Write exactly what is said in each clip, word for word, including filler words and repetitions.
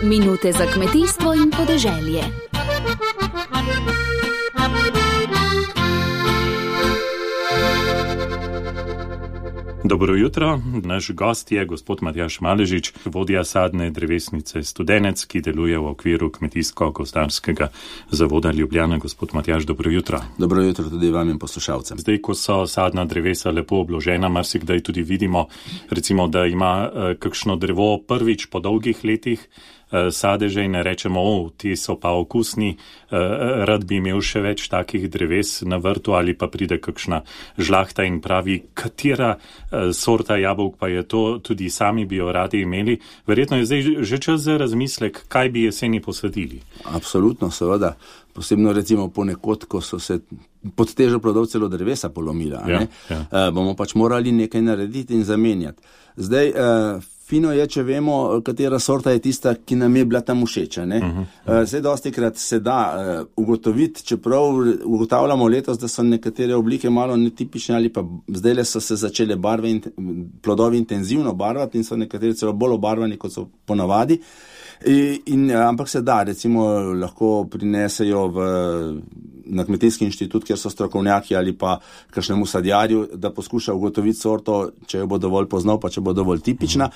Minute za kmetijstvo in podeželje. Dobro jutro, naš gost je gospod Matjaž Maležič, vodja sadne drevesnice Studenec, ki deluje v okviru Kmetijsko-gozdarskega zavoda Ljubljana. Gospod Matjaž, dobro jutro. Dobro jutro tudi vam in poslušalcem. Zdaj, ko so sadna drevesa lepo obložena, marsikdaj tudi vidimo, recimo, da ima eh, kakšno drevo prvič po dolgih letih sadeže in rečemo, o, ti so pa okusni, rad bi imel še več takih dreves na vrtu, ali pa pride kakšna žlahta in pravi, katera sorta jabolk pa je to, tudi sami bi jo radi imeli. Verjetno je zdaj že čas za razmislek, kaj bi jeseni posadili. Absolutno, seveda. Posebno recimo ponekod, ko so se pod težo plodov celo drevesa polomila, ja, ne? Ja. Uh, bomo pač morali nekaj narediti in zamenjati. Zdaj, uh, fino je, če vemo, katera sorta je tista, ki nam je bila tam všeča. Ne? Uh-huh. Uh, zdaj dostikrat se da uh, ugotoviti, čeprav ugotavljamo letos, da so nekatere oblike malo netipične ali pa zdajle so se začele barve in plodovi intenzivno barvati in so nekateri celo bolj obarvani, kot so ponavadi. In, in, ampak se da, recimo lahko prinesejo v, na kmetijski inštitut, kjer so strokovnjaki ali pa kakšnemu sadjarju, da poskuša ugotoviti sorto, če jo bo dovolj poznal, pa če bo dovolj tipična.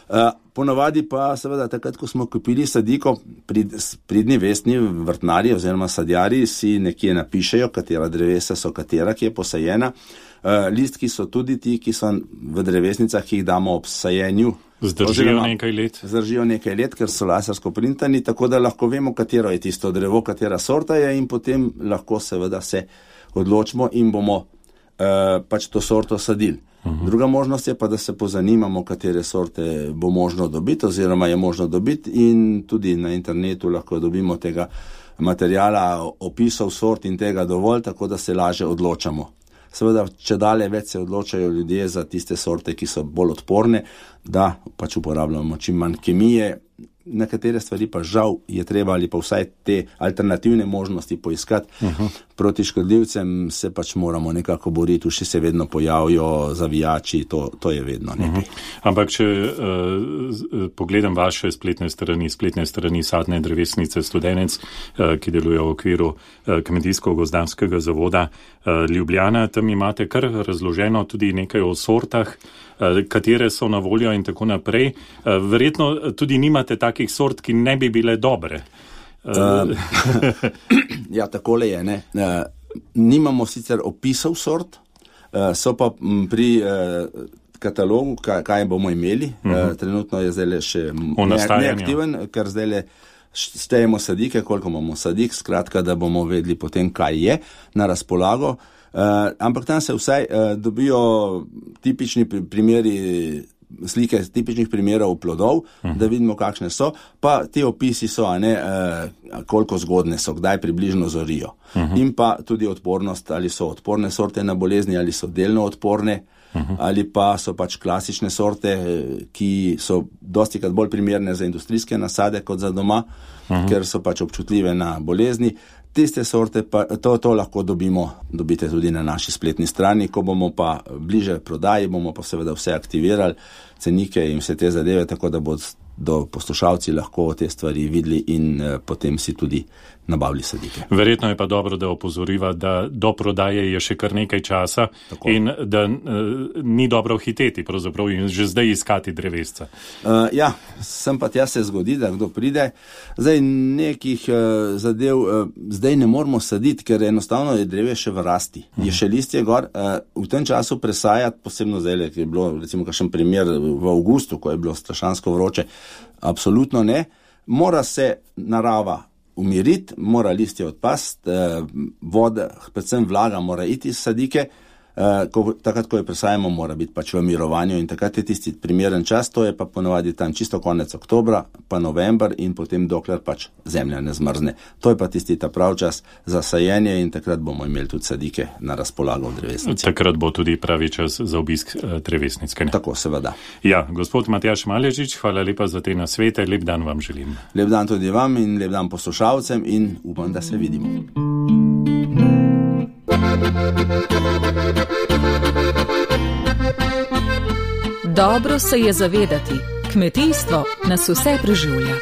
Uh, ponavadi pa seveda takrat, ko smo kupili sadiko, prid, pridni vestni vrtnari oziroma sadjarji si nekje napišejo, katera drevesa so katera, ki je posajena. Uh, listki so tudi ti, ki so v drevesnicah, ki jih damo ob sajenju. Zdržijo nekaj let. Zdržijo nekaj let, ker so lasersko printani, tako da lahko vemo, katero je tisto drevo, katera sorta je in potem lahko seveda se odločimo in bomo uh, pač to sorto sadili. Uh-huh. Druga možnost je pa, da se pozanimamo, katere sorte bo možno dobiti oziroma je možno dobiti in tudi na internetu lahko dobimo tega materijala, opisov sort in tega dovolj, tako da se laže odločamo. Seveda, če dalje več se odločajo ljudje za tiste sorte, ki so bolj odporne, da pač uporabljamo čim manj kemije. Nekatere stvari pa žal je treba ali pa vsaj te alternativne možnosti poiskati. Uh-huh. Proti škodljivcem se pač moramo nekako boriti, še se vedno pojavijo zavijači, to, to je vedno nekaj. Uh-huh. Ampak če uh, pogledam vaše spletne strani, spletne strani sadne drevesnice Studenec, uh, ki deluje v okviru uh, Kmetijsko-gozdarskega zavoda uh, Ljubljana, tam imate kar razloženo tudi nekaj o sortah, uh, katere so na voljo in tako naprej. Uh, verjetno tudi nimate takih sort, ki ne bi bile dobre. Uh, ja, takole je, ne. Uh, nimamo sicer opisov sort, uh, so pa pri uh, katalogu, kaj, kaj bomo imeli. Uh-huh. Uh, trenutno je zdaj še ne, neaktiven, ker zdaj le štejemo sadike, koliko imamo sadik, skratka, da bomo vedeli potem, kaj je na razpolago. Uh, ampak tam se vsaj uh, dobijo tipični primeri slike tipičnih primerov plodov, uh-huh. da vidimo, kakšne so, pa ti opisi so, a ne, eh, koliko zgodne so, kdaj približno zorijo. Uh-huh. In pa tudi odpornost, ali so odporne sorte na bolezni, ali so delno odporne, uh-huh. ali pa so pač klasične sorte, ki so dostikrat bolj primerne za industrijske nasade kot za doma, uh-huh. ker so pač občutljive na bolezni. Tiste sorte, pa to, to lahko dobimo, dobite tudi na naši spletni strani, ko bomo pa bliže prodaji, bomo pa seveda vse aktivirali, cenike in vse te zadeve, tako da bodo poslušalci lahko te stvari videli in eh, potem si tudi nabavili sadike. Verjetno je pa dobro, da opozoriva, da do prodaje je še kar nekaj časa. Tako. In da uh, ni dobro hiteti pravzaprav in že zdaj iskati drevesca. Uh, ja, sem pa tja se zgodi, da kdo pride. Zdaj nekih uh, zadev uh, zdaj ne moramo saditi, ker enostavno je dreve še v rasti. Uh-huh. Je še listje gor. Uh, v tem času presajati, posebno zdaj, ker je bilo recimo kakšen primer v avgustu, ko je bilo strašansko vroče, absolutno ne. Mora se narava umiriti, mora listje odpasti, voda, predvsem vlaga mora iti iz sadike, ko, takrat, ko jo presajamo, mora biti pač v mirovanju in takrat je tisti primeren čas, to je pa ponavadi tam čisto konec oktobra, pa november in potem dokler pač zemlja ne zmrzne. To je pa tisti ta prav čas za sajenje in takrat bomo imeli tudi sadike na razpolago v drevesnici. Takrat bo tudi pravi čas za obisk drevesnice. Tako, seveda. Ja, gospod Matjaž Maležič, hvala lepa za te nasvete, lep dan vam želim. Lep dan tudi vam in lep dan poslušalcem in upam, da se vidimo. Dobro se je zavedati, kmetijstvo nas vse preživlja.